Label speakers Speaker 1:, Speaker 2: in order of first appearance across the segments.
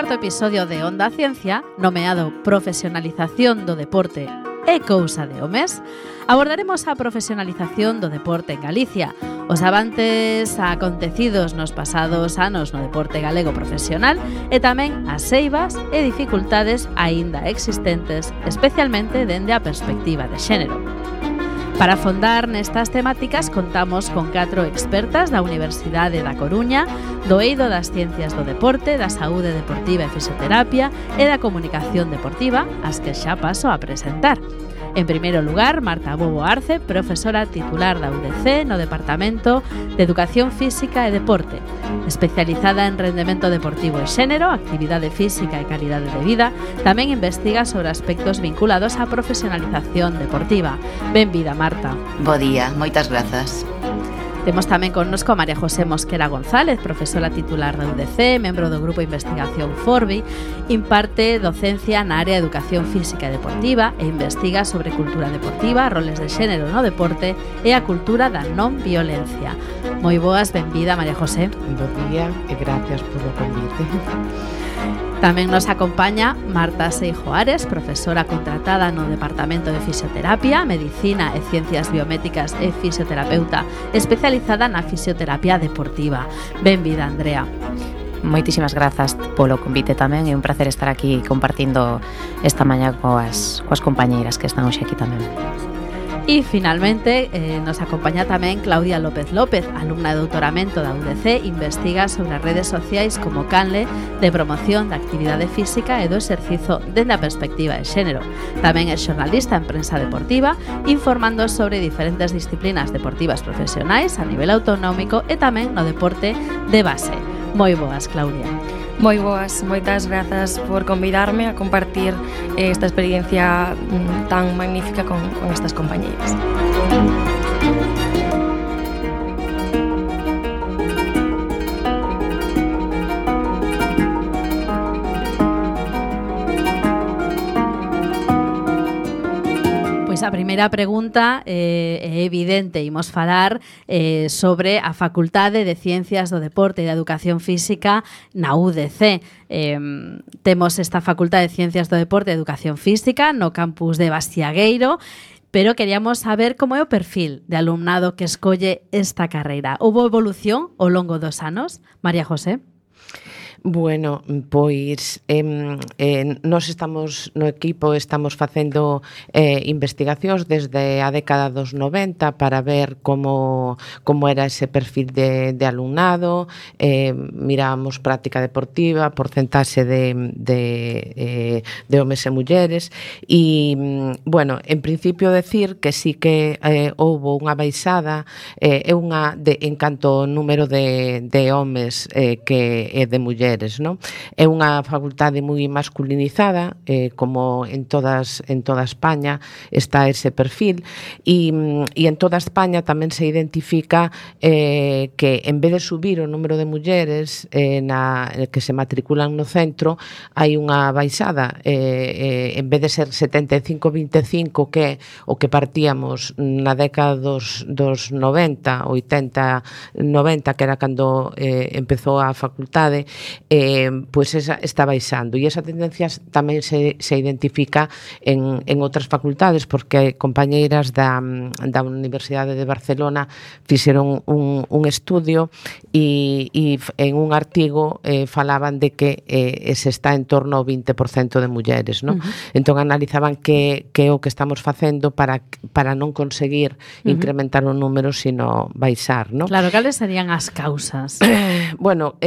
Speaker 1: cuarto episodio de Onda Ciencia, nomeado Profesionalización do Deporte e cousa de homes, abordaremos a profesionalización do deporte en Galicia, os avances acontecidos nos pasados anos no deporte galego profesional e tamén as eivas e dificultades aínda existentes, especialmente dende a perspectiva de xénero. Para afondar nestas temáticas contamos con 4 expertas da Universidade da Coruña, do eido das Ciencias do Deporte, da Saúde Deportiva e Fisioterapia e da Comunicación Deportiva, as que xa paso a presentar. En primeiro lugar, Marta Bobo Arce, profesora titular da UDC no Departamento de Educación Física e Deporte, especializada en rendemento deportivo e xénero, actividade física e calidade de vida. Tamén investiga sobre aspectos vinculados á profesionalización deportiva. Benvida, Marta.
Speaker 2: Bo día, moitas grazas.
Speaker 1: Temos tamén connosco a María José Mosquera González, profesora titular da UDC, membro do Grupo de Investigación Forbi, imparte docencia na área de Educación Física e Deportiva e investiga sobre cultura deportiva, roles de xénero no deporte e a cultura da non violencia. Moi boas, benvida, María José.
Speaker 3: Bo día e gracias polo convite.
Speaker 1: Tamén nos acompaña Marta Seijo Ares, profesora contratada no Departamento de Fisioterapia, Medicina e Ciencias Biomédicas e fisioterapeuta especializada na fisioterapia deportiva. Benvida, Andrea.
Speaker 4: Moitísimas grazas polo convite tamén, é un placer estar aquí compartindo esta mañá coas compañeiras que están hoxe aquí tamén.
Speaker 1: E finalmente nos acompaña tamén Claudia López López, alumna de doutoramento da UDC, investiga sobre as redes sociais como canle de promoción da actividade física e do exercizo dende a perspectiva de xénero. Tamén é xornalista en prensa deportiva, informando sobre diferentes disciplinas deportivas profesionais a nivel autonómico e tamén no deporte de base. Moi boas, Claudia.
Speaker 5: Moi boas, moitas grazas por convidarme a compartir esta experiencia tan magnífica con estas compañeiras.
Speaker 1: A primeira pregunta é evidente, imos falar sobre a Facultade de Ciencias do Deporte e da Educación Física na UDC. Temos esta Facultade de Ciencias do Deporte e Educación Física no campus de Bastiagueiro, pero queríamos saber como é o perfil de alumnado que escolle esta carreira. Houbo evolución ao longo dos anos? María José?
Speaker 3: Bueno, pois nós estamos no equipo, estamos facendo investigacións desde a década dos 90 para ver como era ese perfil de alumnado, miramos práctica deportiva, porcentaxe de homes e mulleres e, bueno, en principio decir que sí que houbo unha baixada en canto ao número de homes que é de mulleres. No? É unha facultade moi masculinizada, como en toda España está ese perfil e en toda España tamén se identifica que en vez de subir o número de mulleres que se matriculan no centro, hai unha baixada, en vez de ser 75-25 que o que partíamos na década dos 90, 80, 90 que era cando empezou a facultade, pois esa está baixando e esa tendencia tamén se identifica en outras facultades porque compañeiras da Universidade de Barcelona fixeron un estudio e en un artigo falaban de que se está en torno ao 20% de mulleres, non? Entón analizaban que é o que estamos facendo para non conseguir incrementar o número, sino baixar, non?
Speaker 1: Claro, cales serían as causas?
Speaker 3: Bueno,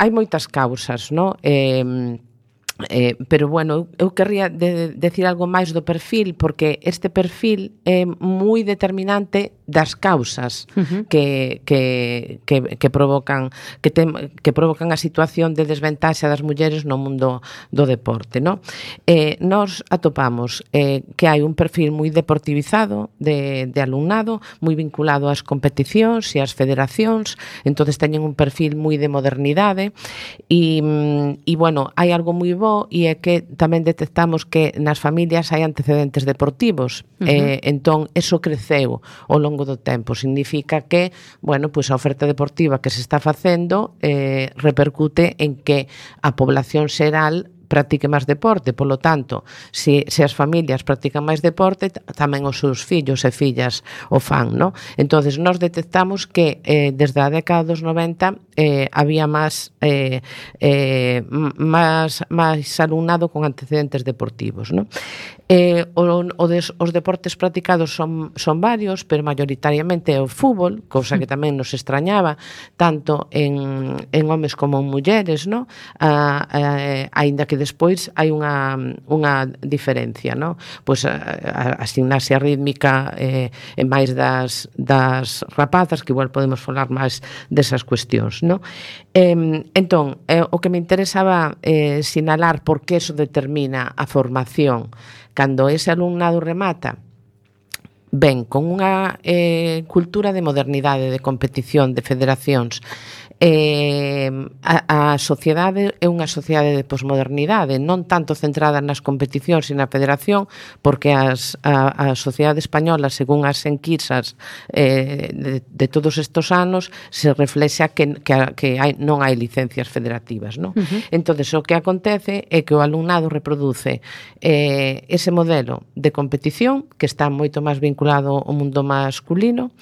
Speaker 3: hai moitas causas, non? Pero bueno, eu querría decir algo máis do perfil porque este perfil é moi determinante das causas que provocan a situación de desventaxa das mulleres no mundo do deporte, no? Nós atopamos que hai un perfil moi deportivizado de alumnado, moi vinculado ás competicións e ás federacións, entonces teñen un perfil moi de modernidade e bueno, hai algo moi bo e é que tamén detectamos que nas familias hai antecedentes deportivos, entón eso creceu ao longo longo do tempo. Significa que, bueno, pois a oferta deportiva que se está facendo repercute en que a población xeral practique máis deporte, polo tanto, se as familias practican máis deporte, tamén os seus fillos e fillas o fan, non? Entonces, nós detectamos que desde a década dos 90 había máis alumnado con antecedentes deportivos, non? Os deportes practicados son varios, pero mayoritariamente é o fútbol, cousa que tamén nos extrañaba, tanto en homes como en mulleres, non? Aínda que despois hai unha diferencia, non? Pois a gimnasia rítmica é máis das rapazas, que igual podemos falar máis desas cuestións, non? Entón, o que me interesaba sinalar porque eso determina a formación cando ese alumnado remata ben con unha cultura de modernidade, de competición, de federacións. A sociedade é unha sociedade de posmodernidade, non tanto centrada nas competicións e na federación, porque a sociedade española, según as enquisas de todos estes anos, se reflexa que non hai licencias federativas, non? Entonces, o que acontece é que o alumnado reproduce ese modelo de competición que está moito máis vinculado ao mundo masculino.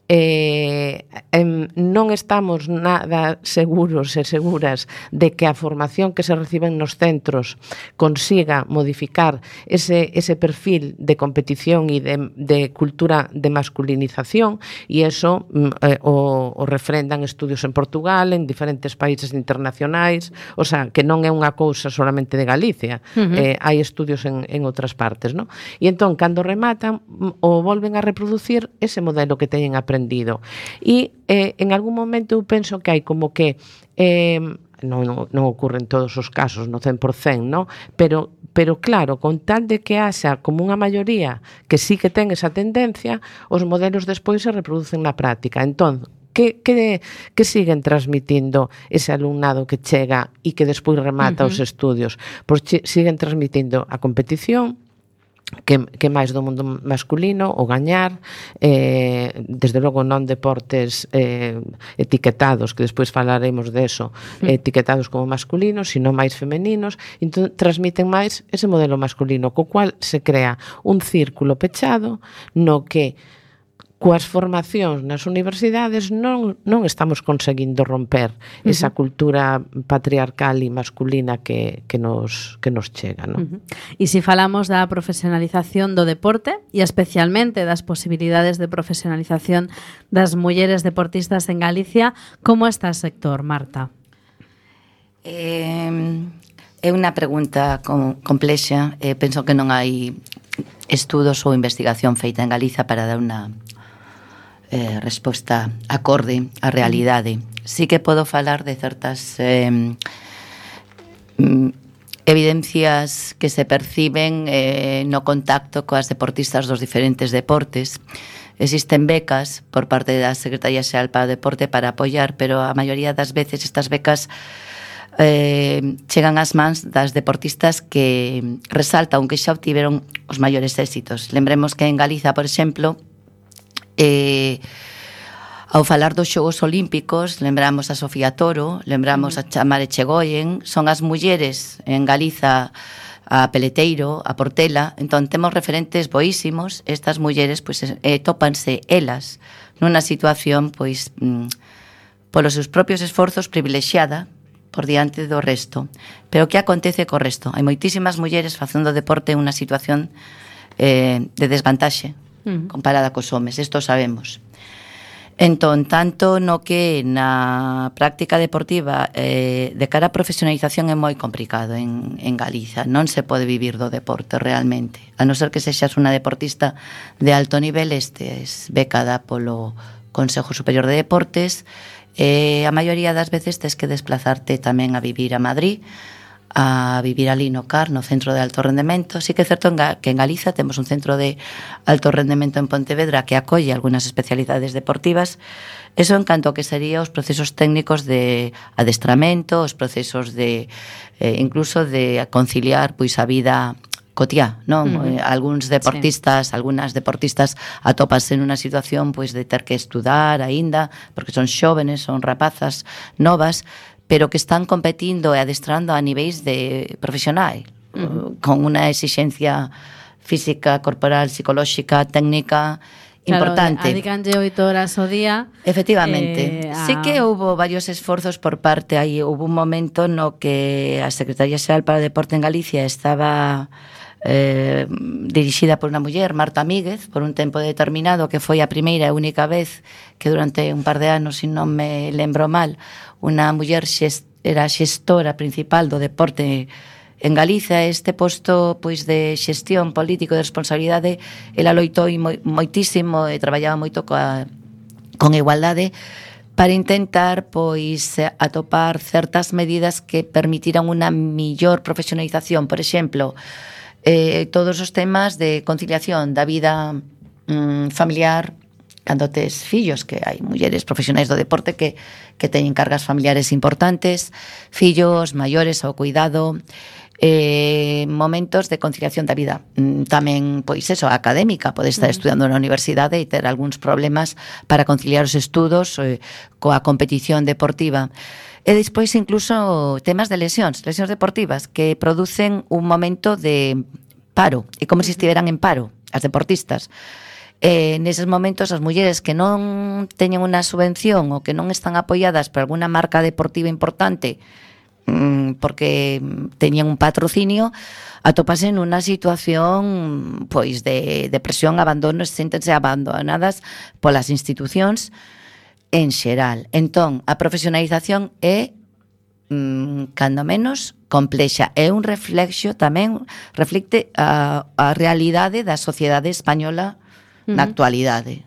Speaker 3: Non estamos nada seguros e seguras de que a formación que se reciben nos centros consiga modificar ese perfil de competición e de cultura de masculinización, e eso o refrendan estudios en Portugal, en diferentes países internacionais, o sea, que non é unha cousa solamente de Galicia, hai estudios en outras partes, non? E entón, cando rematan, o volven a reproducir ese modelo que teñen aprendido. E en algún momento eu penso que hai como que non ocurre en todos os casos no 100%, non? Pero claro, con tal de que haxa como unha maioría que sí que ten esa tendencia, os modelos despois se reproducen na práctica. Entón, que siguen transmitindo ese alumnado que chega e que despois remata os estudios? Pois siguen transmitindo a competición, que máis do mundo masculino, o gañar, desde logo non deportes etiquetados, que despois falaremos deso, etiquetados como masculinos, sino máis femeninos. Entón, transmiten máis ese modelo masculino, co cual se crea un círculo pechado no que coas formacións nas universidades non estamos conseguindo romper esa cultura patriarcal e masculina que nos chega, non?
Speaker 1: E se falamos da profesionalización do deporte e especialmente das posibilidades de profesionalización das mulleres deportistas en Galicia, como está o sector, Marta?
Speaker 2: É unha pregunta complexa. Penso que non hai estudos ou investigación feita en Galiza para dar unha resposta acorde á realidade. Sí que podo falar de certas evidencias que se perciben no contacto coas deportistas dos diferentes deportes. Existen becas por parte da Secretaría Xeral para o Deporte para apoiar, pero a maioría das veces estas becas chegan ás mans das deportistas que resaltan que xa obtiveron os maiores éxitos. Lembremos que en Galiza, por exemplo, ao falar dos Xogos Olímpicos, lembramos a Sofía Toro, lembramos a Tamara Echegoyen, son as mulleres en Galiza, a Peleteiro, a Portela. Entón temos referentes boísimos. Estas mulleres pois tópanse elas nunha situación pois polos seus propios esforzos privilexiada por diante do resto. Pero que acontece co resto? Hai moitísimas mulleres facendo deporte en unha situación de desvantaxe comparada cos homes, isto sabemos. Entón, tanto no que na práctica deportiva de cara a profesionalización é moi complicado en Galiza. Non se pode vivir do deporte realmente, a non ser que sexas unha deportista de alto nivel, estes becada polo Consejo Superior de Deportes. A maioría das veces tes que desplazarte tamén a vivir a Madrid, a vivir ali no CAR, no Centro de Alto Rendemento. Sí que é certo que en Galiza temos un centro de alto rendemento en Pontevedra que acolle algunhas especialidades deportivas. Eso en canto que sería os procesos técnicos de adestramento, os procesos de incluso de conciliar pois a vida cotiá, non? Algúns deportistas, algunhas deportistas atopanse nunha situación pois de ter que estudar aínda, porque son xóvenes, son rapazas novas, pero que están competindo e adestrando a niveis de profesional, con unha exixencia física, corporal, psicolóxica, técnica importante.
Speaker 1: Claro, adicanlle 8 horas ao día.
Speaker 2: Efectivamente. Sí que houve varios esforzos por parte, aí houve un momento no que a Secretaría Xeral para o Deporte en Galicia estaba dirixida por unha muller, Marta Míguez, por un tempo determinado, que foi a primeira e única vez que durante un par de anos, se non me lembro mal, unha muller era xestora principal do deporte en Galicia. Este posto pois de xestión político de responsabilidade, ela loitou moitísimo e traballaba moito con igualdade para intentar pois atopar certas medidas que permitiran unha millor profesionalización. Por exemplo, todos os temas de conciliación da vida familiar cando tes fillos, que hai mulleres profesionais do deporte que teñen cargas familiares importantes, fillos maiores ao cuidado, momentos de conciliación da vida tamén, pois eso, académica. Pode estar estudando na universidade e ter algúns problemas para conciliar os estudos coa competición deportiva. E despois incluso temas de lesións deportivas que producen un momento de paro, e como se estiveran en paro as deportistas. Neses momentos as mulleres que non teñen unha subvención ou que non están apoiadas por alguna marca deportiva importante porque teñen un patrocinio, atopasen nunha situación pois de depresión, abandono, séntense abandonadas polas institucións en xeral. Entón, a profesionalización é cando menos complexa, é un reflexo tamén, reflecte a realidade da sociedade española na actualidade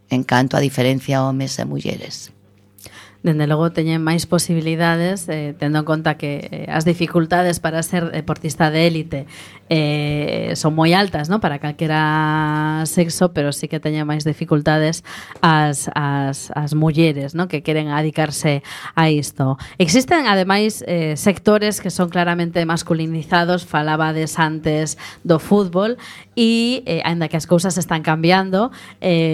Speaker 2: en canto a diferencia homes e mulleres.
Speaker 1: Dende logo teñen máis posibilidades, tendo en conta que as dificultades para ser deportista de élite son moi altas, ¿no? Para calquera sexo, pero sí que teñen máis dificultades as mulleres, ¿no? Que queren adicarse a isto. Existen, ademais, sectores que son claramente masculinizados. Falabades antes do fútbol e, aínda que as cousas están cambiando,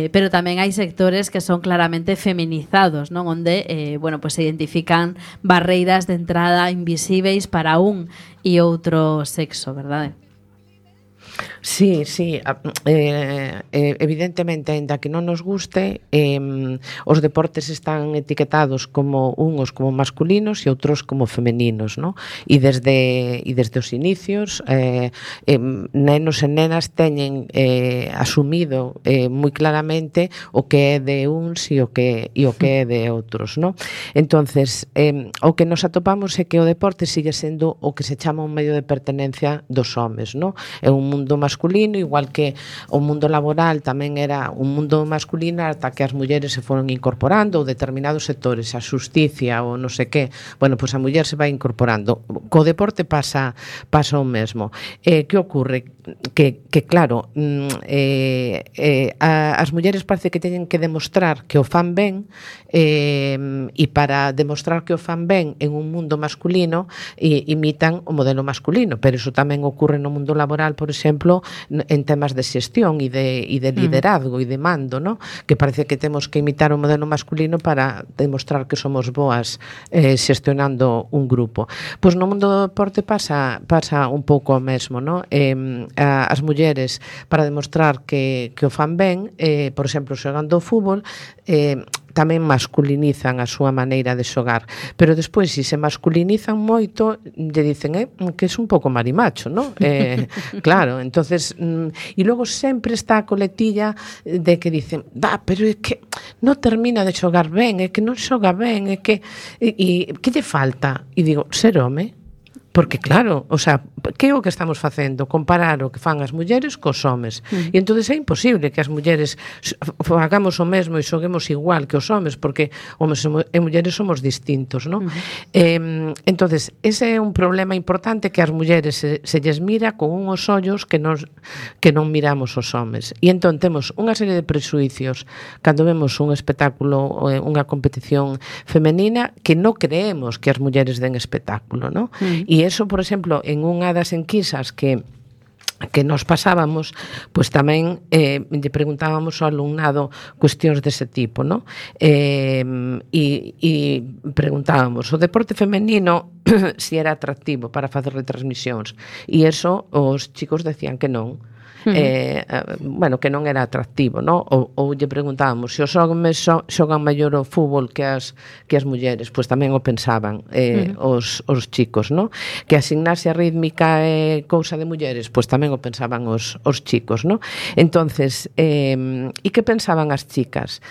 Speaker 1: pero tamén hai sectores que son claramente feminizados, ¿no? Onde bueno, pues se identifican barreiras de entrada invisíveis para un e outro sexo, verdade?
Speaker 3: Sí, evidentemente, aínda que non nos guste, os deportes están etiquetados como uns como masculinos e outros como femeninos, ¿no? E desde os inicios, nenos e nenas teñen asumido moi claramente o que é de uns e o que é de outros, ¿no? Entonces, o que nos atopamos é que o deporte sigue sendo o que se chama un medio de pertenencia dos homes, ¿no? É un mundo masculino, igual que o mundo laboral tamén era un mundo masculino ata que as mulleres se foron incorporando ou determinados sectores, a xusticia ou non sei que, bueno, pois a muller se vai incorporando. Co deporte pasa o mesmo. Que ocorre? Que claro, as mulleres parece que teñen que demostrar que o fan ben, e para demostrar que o fan ben en un mundo masculino imitan o modelo masculino, pero iso tamén ocorre no mundo laboral, por exemplo, en temas de xestión e de liderazgo e de mando, ¿no? Que parece que temos que imitar o modelo masculino para demostrar que somos boas xestionando un grupo. Pois no mundo do deporte pasa un pouco o mesmo, ¿no? As mulleres, para demostrar que o fan ben, por exemplo, xogando o fútbol, tamén masculinizan a súa maneira de xogar, pero despois, se se masculinizan moito, lle dicen que é un pouco marimacho, ¿no? Claro, entonces, e logo sempre está a coletilla de que dicen, pero é que non termina de xogar ben, é que non xoga ben, é que que lle falta? E digo, ser home. Porque claro, o sea, que é o que estamos facendo? Comparar o que fan as mulleres cos homes. E entón é imposible que as mulleres fagamos o mesmo e xoguemos igual que os homes, porque homes e mulleres somos distintos, ¿no? Entón, ese é un problema importante, que as mulleres se lles mira con unhos ollos que non miramos os homes. E entón temos unha serie de presuicios cando vemos un espectáculo, unha competición femenina, que non creemos que as mulleres den espectáculo, ¿no? E eso, por exemplo, en unha das enquisas que que nos pasábamos, pois tamén lle preguntábamos ao alumnado cuestións dese tipo, ¿no? E preguntábamos o deporte femenino si era atractivo para facer retransmisións, e eso os chicos decían que non. Bueno, que non era atractivo, ¿no? Ou lle preguntábamos se os homes xogan mellor o fútbol que as mulleres, pois tamén o pensaban os chicos, ¿no? Que a gimnasia rítmica é cousa de mulleres, pois tamén o pensaban os chicos, ¿no? Entonces, e que pensaban as chicas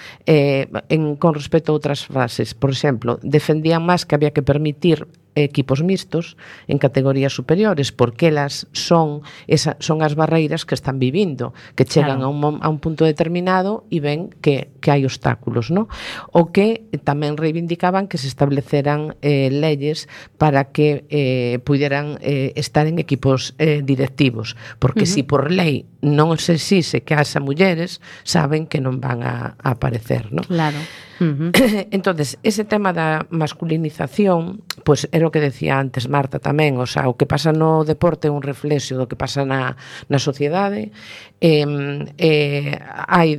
Speaker 3: con respecto a outras frases? Por exemplo, defendían máis que había que permitir equipos mixtos en categorías superiores, porque elas son as barreiras que están vivindo, que chegan a un punto determinado e ven que hai obstáculos, ¿no? O que tamén reivindicaban que se estableceran leyes para que puderan estar en equipos directivos, porque si por lei non se exixe que haxa mulleres, saben que non van a aparecer, ¿no?
Speaker 1: Claro.
Speaker 3: Entonces, ese tema da masculinización, pois era o que decía antes Marta tamén, o sea, o que pasa no deporte é un reflexo do que pasa na sociedade. Hai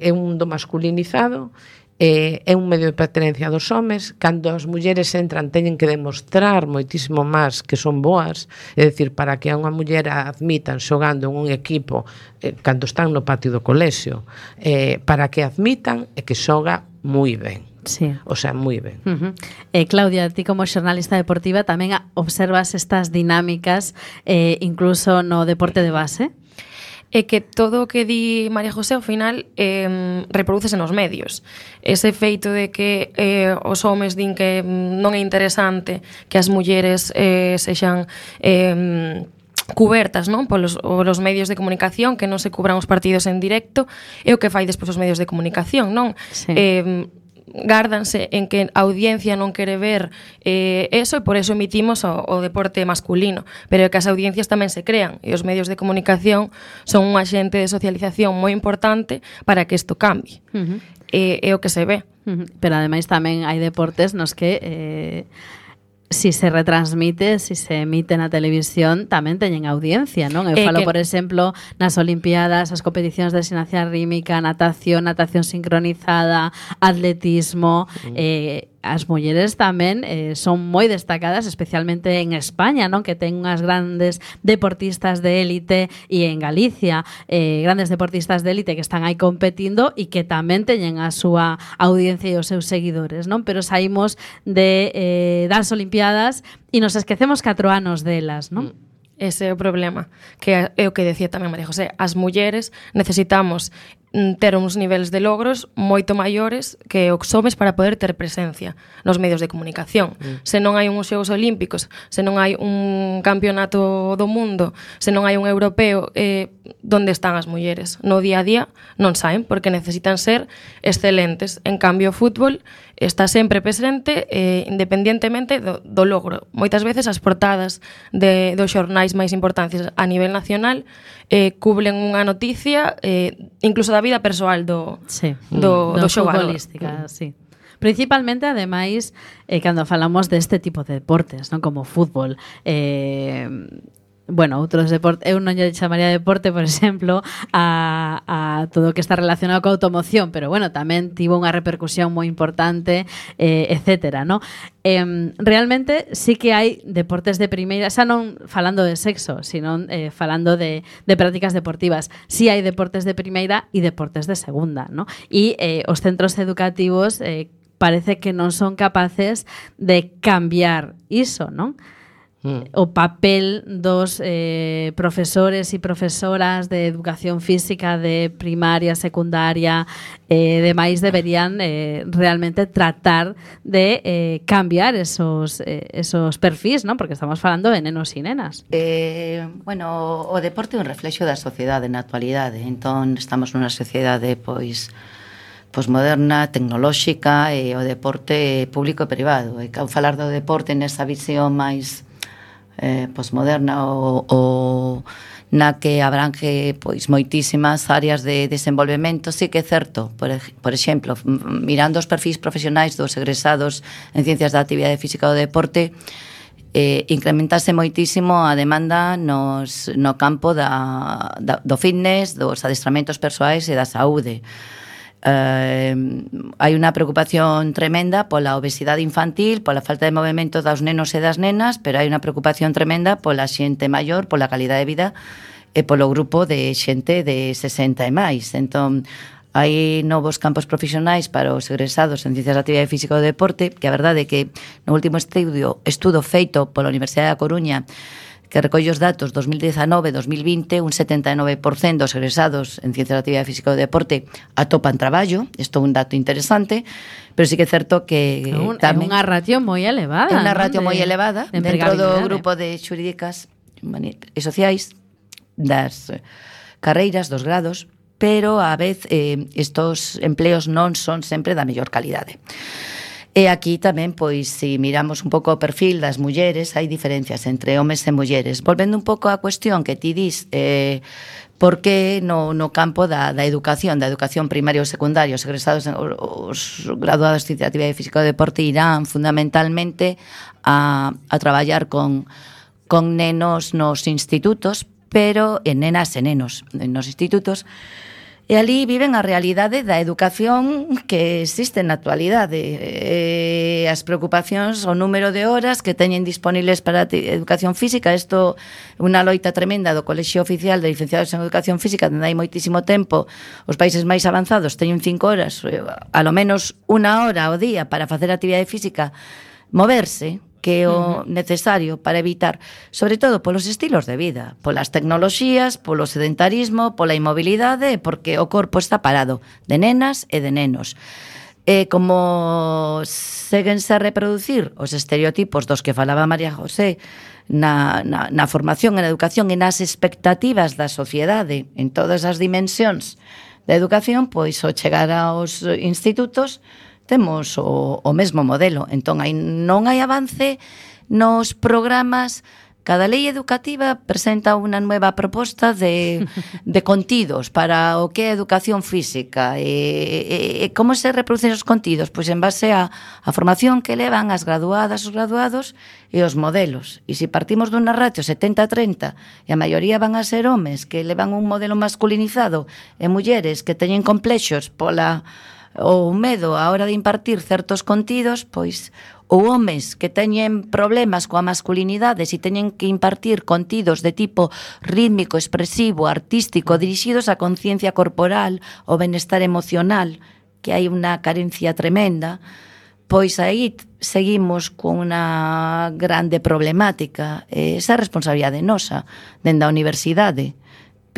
Speaker 3: un mundo masculinizado, é un medio de pertenencia dos homes. Cando as mulleres entran teñen que demostrar moitísimo máis que son boas, é dicir, para que a unha muller a admitan xogando en un equipo cando están no patio do colexio, para que admitan é que xoga moi ben.
Speaker 1: Sí.
Speaker 3: O sea, moi ben.
Speaker 1: Claudia, ti como xornalista deportiva tamén observas estas dinámicas incluso no deporte de base?
Speaker 5: É que todo o que di María José ao final reprodúcese nos medios. Ese feito de que os homes din que non é interesante que as mulleres sexan cubertas, non, polos medios de comunicación, que non se cubran os partidos en directo, é o que fai despois os medios de comunicación, non?
Speaker 1: Sí.
Speaker 5: Gárdanse en que a audiencia non quere ver eso, e por eso emitimos o deporte masculino, pero é que as audiencias tamén se crean, e os medios de comunicación son un axente de socialización moi importante para que isto cambie. É o que se ve.
Speaker 1: Pero ademais tamén hai deportes nos que si se retransmite, si se emite na televisión, tamén teñen audiencia, non? Eu falo, por exemplo, nas Olimpiadas, as competicións de gimnasia rítmica, natación sincronizada, atletismo, as mulleres tamén son moi destacadas, especialmente en España, non? Que ten unhas grandes deportistas de élite, e en Galicia grandes deportistas de élite que están aí competindo e que tamén teñen a súa audiencia e os seus seguidores, non? Pero saímos das Olimpiadas e nos esquecemos 4 anos delas, non?
Speaker 5: Ese é o problema, que é o que decía tamén María José. As mulleres necesitamos ter uns niveles de logros moito maiores que os homes para poder ter presencia nos medios de comunicación. Se non hai uns Xogos Olímpicos, se non hai un campeonato do mundo, se non hai un europeo, onde están as mulleres? No día a día non saen, porque necesitan ser excelentes. En cambio, o fútbol está sempre presente, independientemente do logro. Moitas veces as portadas dos xornais máis importantes a nivel nacional cubren unha noticia incluso da vida persoal do xogador.
Speaker 1: Sí. Principalmente, ademais, cando falamos deste tipo de deportes, non, como o fútbol, bueno, outros deportes, eu non lle chamaría deporte, por exemplo, a todo o que está relacionado coa automoción, pero bueno, tamén tivo unha repercusión moi importante, etcétera, ¿no? Realmente sí que hai deportes de primeira, xa non falando de sexo, sino falando de prácticas deportivas. Sí hai deportes de primeira e deportes de segunda, ¿no? E os centros educativos parece que non son capaces de cambiar iso, non? O papel dos profesores e profesoras de educación física de primaria, secundaria, demais deberían realmente tratar de cambiar esos perfis, ¿no? Porque estamos falando de nenos e nenas.
Speaker 2: Bueno, o deporte é un reflexo da sociedade na actualidade. Entón, estamos nunha sociedade moderna, tecnolóxica, e o deporte público e privado. E ao falar do deporte nesa visión máis posmoderna ou na que abrange moitísimas áreas de desenvolvemento, sí que é certo. Por exemplo, mirando os perfis profesionais dos egresados en Ciencias da Actividade Física do Deporte, incrementase moitísimo a demanda no campo do fitness, dos adestramentos persoais e da saúde. Hai unha preocupación tremenda pola obesidade infantil, pola falta de movimento dos nenos e das nenas, pero hai unha preocupación tremenda pola xente maior, pola calidade de vida e polo grupo de xente de 60 e máis. Entón, hai novos campos profesionais para os egresados en Ciencias da Actividade Física e do Deporte, que a verdade é que no último estudo feito pola Universidade da Coruña, que recolle os datos 2019-2020, un 79% dos egresados en Ciencias da Actividade Física e do Deporte atopan traballo. Isto é un dato interesante, pero sí que é certo que tamén
Speaker 1: é unha ratio moi elevada.
Speaker 2: É unha ratio moi elevada dentro do grupo de xurídicas e sociais das carreiras, dos grados, pero a vez estos empleos non son sempre da mellor calidade. E aquí tamén, pois, se miramos un pouco o perfil das mulleres, hai diferencias entre homes e mulleres. Volvendo un pouco á cuestión que ti dis, por que no campo da educación primaria ou secundaria, os egresados, os graduados de Actividade Física e Deporte irán fundamentalmente a traballar con nenos nos institutos, pero en nenas e nenos nos institutos, e ali viven a realidade da educación que existe na actualidade. As preocupacións, o número de horas que teñen disponibles para a educación física. Isto é unha loita tremenda do Colexio Oficial de Licenciados en Educación Física, onde hai moitísimo tempo. Os países máis avanzados teñen 5 horas, a lo menos 1 hora ao día para facer actividade física, moverse, que é o necesario para evitar, sobre todo polos estilos de vida, polas tecnoloxías, polo sedentarismo, pola inmobilidade, porque o corpo está parado de nenas e de nenos. Como séguense a reproducir os estereotipos dos que falaba María José na formación, na educación e nas expectativas da sociedade en todas as dimensións da educación, pois ao chegar aos institutos temos o mesmo modelo. Entón, non hai avance nos programas. Cada lei educativa presenta unha nueva proposta de contidos para o que é educación física. E como se reproducen os contidos? Pois en base a formación que levan as graduadas, os graduados e os modelos. E se partimos dunha ratio 70-30 e a maioría van a ser homes que levan un modelo masculinizado e mulleres que teñen complexos ou medo a hora de impartir certos contidos, pois ou homes que teñen problemas coa masculinidade se teñen que impartir contidos de tipo rítmico, expresivo, artístico, dirixidos á conciencia corporal, ao benestar emocional, que hai unha carencia tremenda, pois aí seguimos con unha grande problemática. Esa responsabilidade nosa dende a universidade.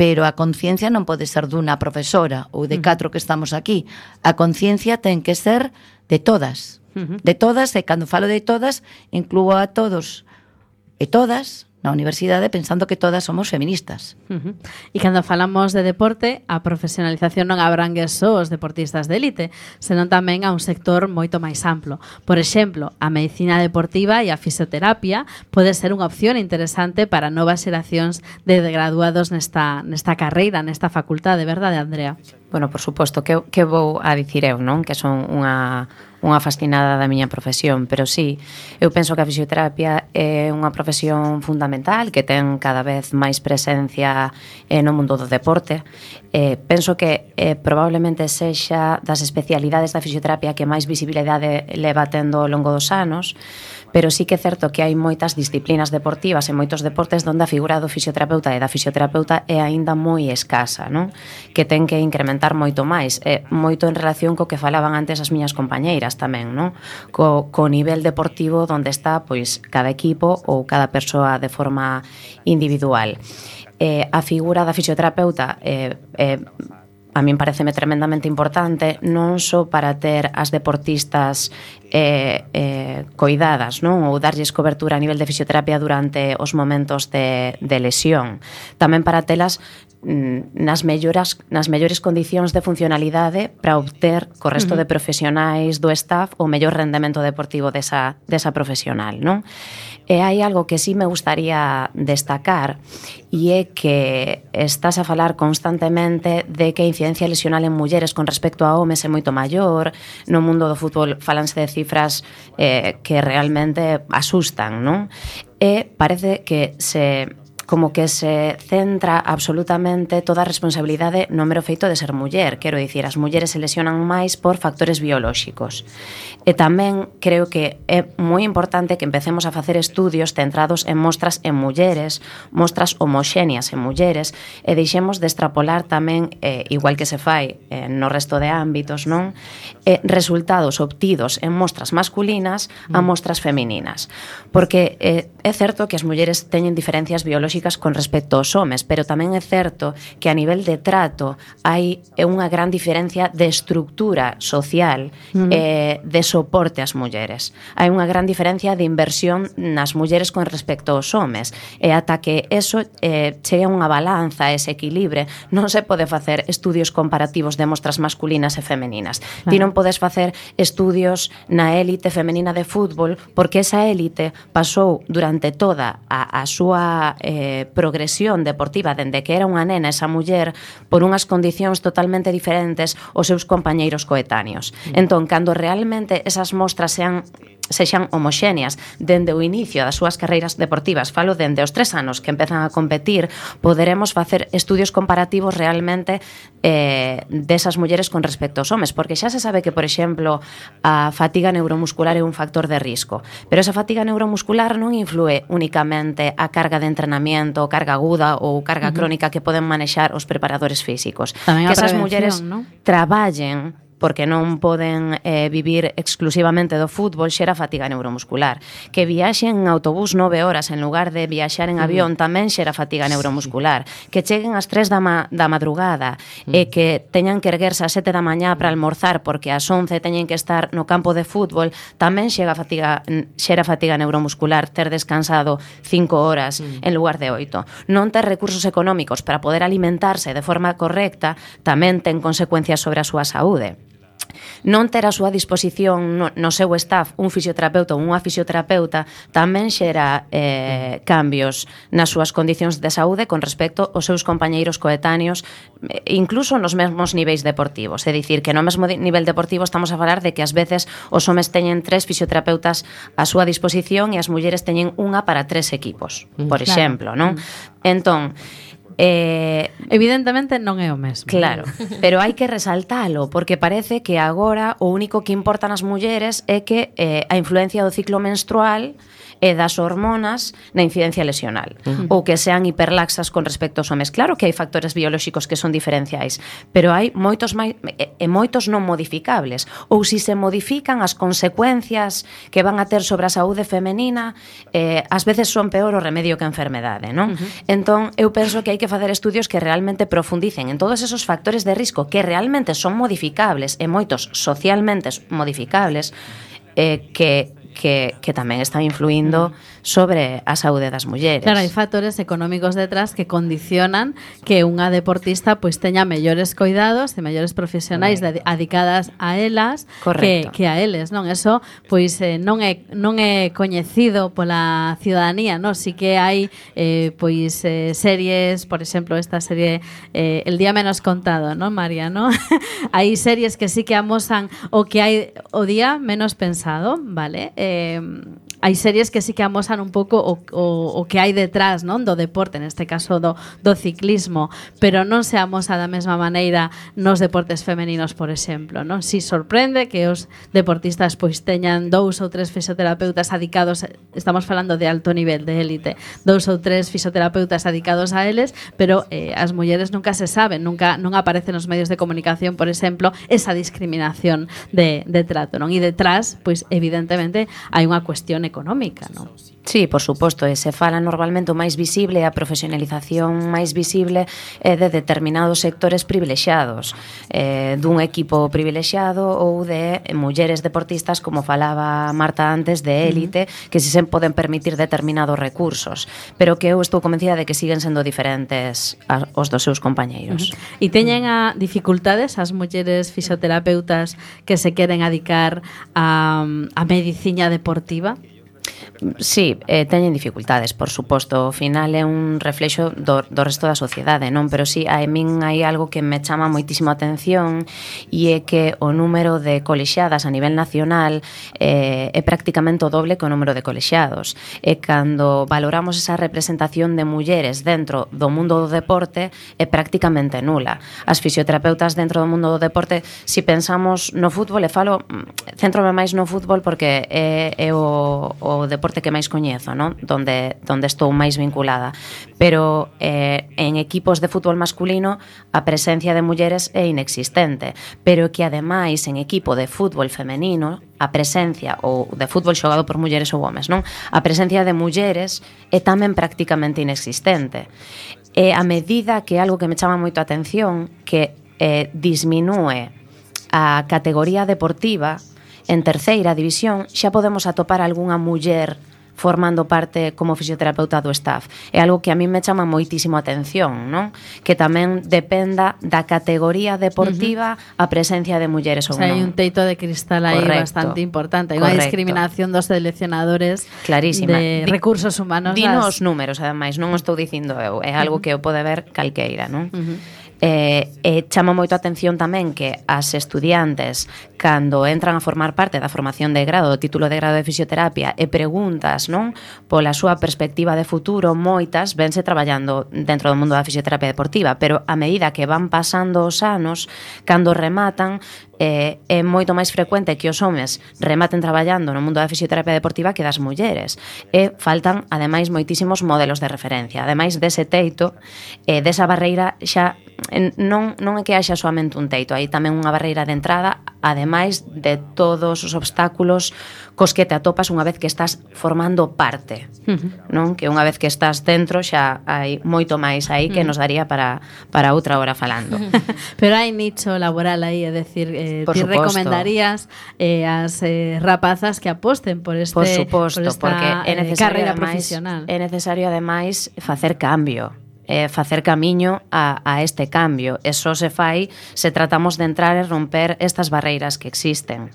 Speaker 2: Pero a conciencia non pode ser dunha profesora ou de 4 que estamos aquí. A conciencia ten que ser de todas. De todas, e cando falo de todas, incluo a todos e todas na universidade pensando que todas somos feministas.
Speaker 1: E cando falamos de deporte, a profesionalización non abrangue só os deportistas de élite, senón tamén a un sector moito máis amplo. Por exemplo, a medicina deportiva e a fisioterapia pode ser unha opción interesante para novas xeracións de graduados nesta carreira, nesta facultade, verdade, Andrea?
Speaker 4: Bueno, por suposto, que vou a dicir eu, non? Que son unha fascinada da miña profesión, pero sí, eu penso que a fisioterapia é unha profesión fundamental que ten cada vez máis presencia no mundo do deporte. Penso que probablemente sexa das especialidades da fisioterapia que máis visibilidade leva tendo ao longo dos anos, pero sí que é certo que hai moitas disciplinas deportivas e moitos deportes onde a figura do fisioterapeuta e da fisioterapeuta é aínda moi escasa, non? Que ten que incrementar moito máis, moito en relación co que falaban antes as miñas compañeiras tamén, non? Co nivel deportivo onde está pois cada equipo ou cada persoa de forma individual. A figura da fisioterapeuta a min pareceme tremendamente importante, non só para ter as deportistas coidadas, non? Ou darlles cobertura a nivel de fisioterapia durante os momentos de lesión, tamén para telas nas mellores condicións de funcionalidade para obter co resto de profesionais do staff o mellor rendemento deportivo desa profesional, non? E hai algo que sí me gustaría destacar e é que estás a falar constantemente de que a incidencia lesional en mulleres con respecto a homes é moito maior. No mundo do fútbol falanse de cifras que realmente asustan, non? E parece que se centra absolutamente toda a responsabilidade no mero feito de ser muller. Quero dicir, as mulleres se lesionan máis por factores biolóxicos. E tamén creo que é moi importante que empecemos a facer estudios centrados en mostras en mulleres, mostras homoxéneas en mulleres, e deixemos de extrapolar tamén, igual que se fai no resto de ámbitos, non? Resultados obtidos en mostras masculinas a mostras femininas. Porque é certo que as mulleres teñen diferencias biolóxicas con respecto aos homes, pero tamén é certo que a nivel de trato hai unha gran diferencia de estructura social de soporte ás mulleres. Hai unha gran diferencia de inversión nas mulleres con respecto aos homes, e ata que eso chegue a unha balanza, ese equilibre, non se pode facer estudios comparativos de mostras masculinas e femeninas. Claro. Ti non podes facer estudios na élite femenina de fútbol porque esa élite pasou durante toda a súa progresión deportiva dende que era unha nena esa muller por unhas condicións totalmente diferentes aos seus compañeiros coetáneos. Entón, cando realmente esas mostras sexan homoxéneas dende o inicio das súas carreiras deportivas, falo dende os 3 anos que empezan a competir, poderemos facer estudios comparativos realmente desas mulleres con respecto aos homes, porque xa se sabe que, por exemplo, a fatiga neuromuscular é un factor de risco, pero esa fatiga neuromuscular non influe únicamente a carga de entrenamiento, carga aguda ou carga crónica que poden manexar os preparadores físicos.
Speaker 1: Tamén
Speaker 4: que esas mulleres traballen porque non poden vivir exclusivamente do fútbol, xera fatiga neuromuscular. Que viaxen en autobús 9 horas en lugar de viaxar en avión tamén xera fatiga neuromuscular. Que cheguen ás 3 da madrugada e que teñan que erguerse ás 7 da mañá para almorzar porque ás 11 teñen que estar no campo de fútbol, tamén xera fatiga neuromuscular ter descansado 5 horas en lugar de 8. Non ter recursos económicos para poder alimentarse de forma correcta tamén ten consecuencias sobre a súa saúde. Non ter a súa disposición no seu staff un fisioterapeuta ou unha fisioterapeuta tamén xera cambios nas súas condicións de saúde con respecto aos seus compañeiros coetáneos, incluso nos mesmos niveis deportivos. É dicir, que no mesmo nivel deportivo estamos a falar de que ás veces os homes teñen 3 fisioterapeutas á súa disposición e as mulleres teñen unha para 3 equipos, por exemplo, non? Entón,
Speaker 1: evidentemente non é o mesmo.
Speaker 4: Claro, pero hai que resaltalo porque parece que agora o único que importa nas mulleres é que a influencia do ciclo menstrual e das hormonas na incidencia lesional ou que sean hiperlaxas con respecto aos homes. Claro que hai factores biolóxicos que son diferenciais, pero hai moitos moitos non modificables, ou se modifican as consecuencias que van a ter sobre a saúde femenina ás veces son peor o remedio que a enfermedade, non? Entón, eu penso que hai que facer estudios que realmente profundicen en todos esos factores de risco que realmente son modificables e moitos socialmente modificables que tamén están influindo sobre a saúde das mulleres.
Speaker 1: Claro, hai factores económicos detrás que condicionan que unha deportista pois teña mellores coidados e mellores profesionais dedicadas a elas que a eles, non? Eso pois non é coñecido pola ciudadanía, non? Si que hai pois series, por exemplo, esta serie El día menos contado, non, María, non? Hai series que sí que amosan o que hai o día menos pensado, vale? Hai series que sí que amosan un pouco o que hai detrás, non, do deporte, neste caso do ciclismo, pero non se amosa da mesma maneira nos deportes femeninos, por exemplo, non? Si sorprende que os deportistas pois teñan 2 ou 3 fisioterapeutas adicados, estamos falando de alto nivel, de élite, 2 ou 3 fisioterapeutas adicados a eles, pero as mulleres nunca se saben, non aparece nos medios de comunicación, por exemplo, esa discriminación de trato, non? E detrás, pois evidentemente hai unha cuestión económica, non?
Speaker 4: Sí, por suposto, e se fala normalmente o máis visible, a profesionalización máis visible é de determinados sectores privilexiados, dun equipo privilexiado ou de mulleres deportistas, como falaba Marta antes, de élite, que se poden permitir determinados recursos, pero que eu estou convencida de que siguen sendo diferentes os dos seus compañeiros.
Speaker 1: E teñen dificultades as mulleres fisioterapeutas que se queren adicar a medicina deportiva?
Speaker 4: Sí, teñen dificultades, por suposto. Ao final é un reflexo do resto da sociedade, non? Pero sí, a min hai algo que me chama moitísimo a atención e é que o número de colexiadas a nivel nacional é prácticamente o doble que o número de colexiados. E cando valoramos esa representación de mulleres dentro do mundo do deporte é prácticamente nula. As fisioterapeutas dentro do mundo do deporte, si pensamos no fútbol, centrome máis no fútbol porque é o deporte que máis coñezo, non? Donde estou máis vinculada. Pero en equipos de fútbol masculino a presencia de mulleres é inexistente, pero que ademais en equipo de fútbol femenino a presencia, ou de fútbol xogado por mulleres ou homes, non? A presencia de mulleres é tamén prácticamente inexistente. E a medida que algo que me chama moito a atención, que disminúe a categoría deportiva, en terceira división xa podemos atopar algunha muller formando parte como fisioterapeuta do staff. É algo que a mí me chama moitísimo a atención, non? Que tamén dependa da categoría deportiva a presencia de mulleres ou non.
Speaker 1: Hai un teito de cristal aí bastante importante. Hai unha discriminación dos seleccionadores de recursos humanos.
Speaker 4: Dino os números, ademais, non o estou dicindo eu. É algo que eu pode ver calqueira, non? Chama moito a atención tamén que as estudiantes, cando entran a formar parte da formación de grado, do título de grado de fisioterapia, e preguntas, non, pola súa perspectiva de futuro, moitas vense traballando dentro do mundo da fisioterapia deportiva, pero a medida que van pasando os anos, cando rematan, é moito máis frecuente que os homes rematen traballando no mundo da fisioterapia deportiva que das mulleres. E faltan, ademais, moitísimos modelos de referencia. Ademais dese teito, desa barreira xa non é que haxa soamente un teito, hai tamén unha barreira de entrada, ademais de todos os obstáculos cos que te atopas unha vez que estás formando parte, non? Que unha vez que estás dentro xa hai moito máis aí que nos daría para outra hora falando.
Speaker 1: Pero hai nicho laboral aí, é decir, ti recomendarías as rapazas que aposten por esta
Speaker 4: porque é necesario,
Speaker 1: carreira profesional.
Speaker 4: É necesario ademais facer cambio, facer camiño a este cambio. E só se fai se tratamos de entrar e romper estas barreiras que existen.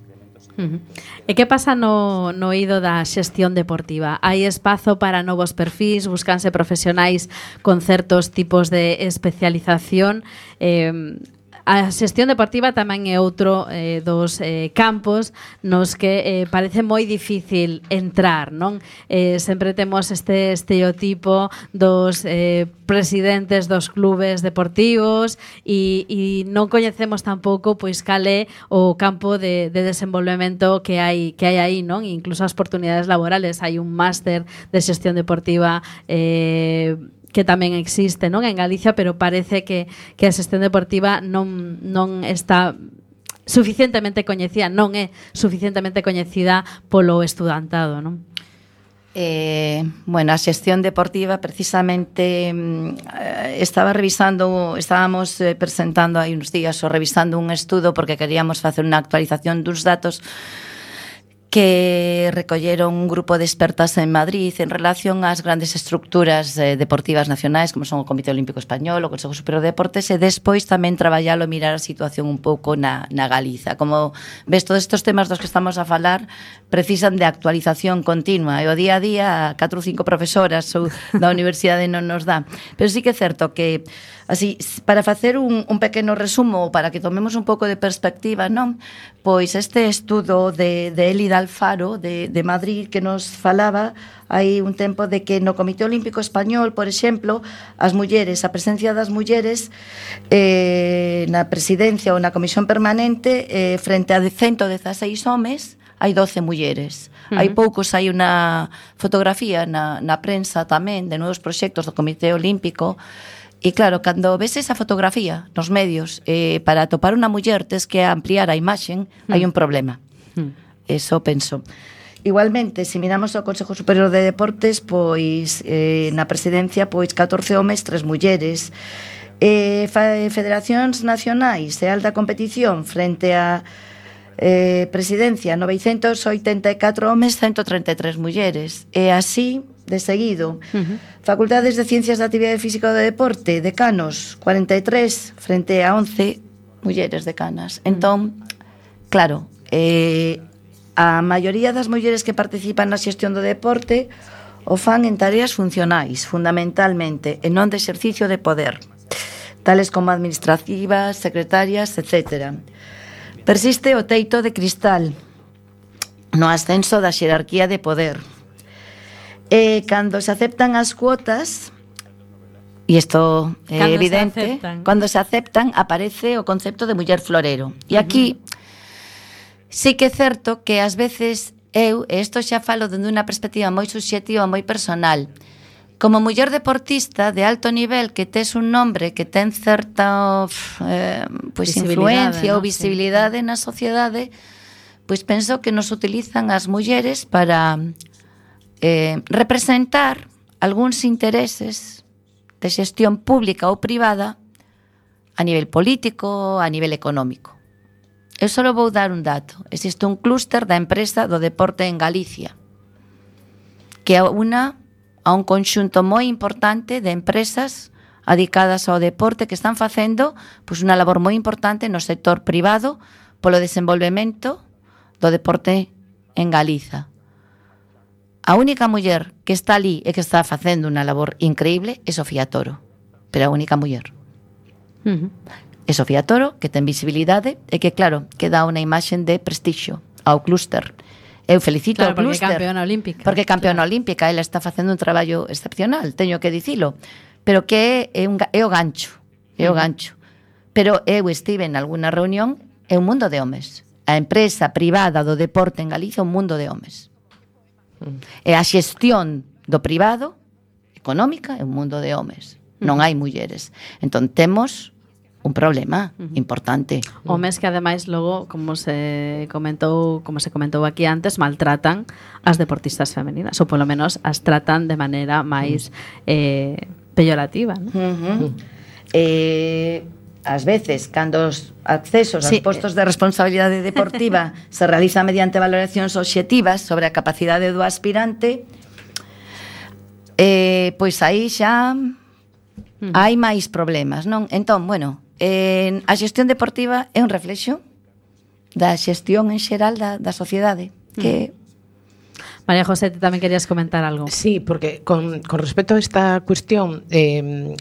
Speaker 1: E que pasa no eido da xestión deportiva? Hai espazo para novos perfís, buscanse profesionais con certos tipos de especialización. A xestión deportiva tamén é outro dos campos nos que parece moi difícil entrar, non? Sempre temos este estereotipo dos presidentes dos clubes deportivos e non coñecemos tampouco pois cal é o campo de desenvolvemento que hai aí, non? Incluso as oportunidades laborales. Hai un máster de xestión deportiva que tamén existe, non, en Galicia, pero parece que a xestión deportiva non está suficientemente coñecida, non é suficientemente coñecida polo estudantado, non?
Speaker 2: Bueno, a xestión deportiva precisamente estábamos presentando hai uns días ou revisando un estudo porque queríamos facer unha actualización dos datos que recolleron un grupo de expertas en Madrid en relación ás grandes estructuras deportivas nacionais como son o Comité Olímpico Español, o Consejo Superior de Deportes e despois tamén traballalo, mirar a situación un pouco na Galiza. Como ves, todos estes temas dos que estamos a falar precisan de actualización continua e o día a día 4 ou 5 profesoras ou da universidade non nos dá. Pero sí que é certo que así, para facer un pequeno resumo, para que tomemos un pouco de perspectiva, non? Pois este estudo de Elida Alfaro, de Madrid, que nos falaba hai un tempo de que no Comité Olímpico Español, por exemplo, a presencia das mulleres na presidencia ou na comisión permanente, frente a 116 homes, hai 12 mulleres. Hai poucos, hai unha fotografía na prensa tamén de novos proxectos do Comité Olímpico. E claro, cando ves esa fotografía nos medios, para atopar unha muller tes que ampliar a imaxen, hai un problema. Eso penso. Igualmente, se miramos o Consejo Superior de Deportes, pois na presidencia, pois 14 homes, 3 mulleres. Federacións nacionais e alta competición frente a presidencia, 984 homes, 133 mulleres. E así de seguido. Facultades de Ciencias da Actividade Física e do Deporte, decanos, 43 frente a 11 mulleres decanas. Entón, claro, a maioría das mulleres que participan na xestión do deporte o fan en tareas funcionais, fundamentalmente, e non de exercicio de poder, tales como administrativas, secretarias, etc. Persiste o teito de cristal no ascenso da xerarquía de poder. E cando se aceptan as cuotas, e isto é evidente, cando se aceptan aparece o concepto de muller florero. E aquí sí que é certo que ás veces eu, e isto xa falo dende unha perspectiva moi subxectiva, moi personal, como muller deportista de alto nivel que tes un nombre que ten certa pois influencia ou visibilidade na sociedade, pois penso que nos utilizan as mulleres para representar algúns intereses de xestión pública ou privada a nivel político, a nivel económico. Eu só vou dar un dato. Existe un clúster da empresa do deporte en Galicia que una a un conxunto moi importante de empresas adicadas ao deporte que están facendo pois unha labor moi importante no sector privado polo desenvolvemento do deporte en Galiza. A única muller que está ali e que está facendo unha labor increíble é Sofía Toro, pero a única muller. É Sofía Toro, que ten visibilidade e que, claro, que dá unha imaxen de prestixio ao clúster. Eu felicito ao clúster. Porque é campeona olímpica. Ela está facendo un traballo excepcional, teño que dicilo. Pero que é o gancho. É o gancho. Pero eu estive en alguna reunión, é un mundo de homes. A empresa privada do deporte en Galicia é un mundo de homes. E a xestión do privado, económica, é un mundo de homes. Non hai mulleres. Entón, temos un problema importante.
Speaker 1: Homes que ademais logo, como se comentou aquí antes, maltratan as deportistas femeninas, ou polo menos as tratan de maneira máis peyorativa, ¿no?
Speaker 2: Ás veces, cando os accesos aos postos de responsabilidade deportiva se realizan mediante valoracións obxectivas sobre a capacidade do aspirante, pois aí xa hai máis problemas, non? Entón, bueno, a xestión deportiva é un reflexo da xestión en xeral da sociedade, que
Speaker 1: María José, ti tamén querías comentar algo.
Speaker 3: Sí, porque con respecto a esta cuestión eu